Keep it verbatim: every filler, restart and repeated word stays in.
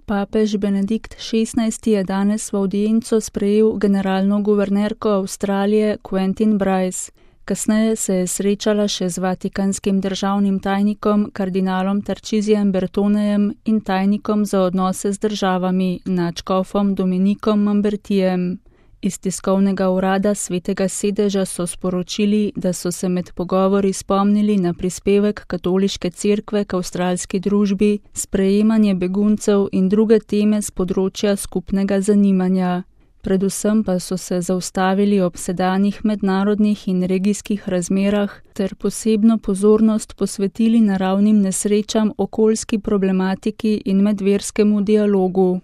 Papež Benedikt šestnajsti je danes v avdienco sprejel generalno guvernerko Avstralije Quentin Bryce. Kasneje se je srečala še z vatikanskim državnim tajnikom kardinalom Tarcisijem Bertonejem in tajnikom za odnose z državami nadškofom Dominikom Mambertijem. Iz tiskovnega urada Svetega sedeža so sporočili, da so se med pogovori spomnili na prispevek Katoliške cerkve k avstralski družbi, sprejemanje beguncev in druge teme z področja skupnega zanimanja. Predvsem pa so se zaustavili ob sedanjih mednarodnih in regijskih razmerah ter posebno pozornost posvetili naravnim nesrečam, okoljski problematiki in medverskemu dialogu.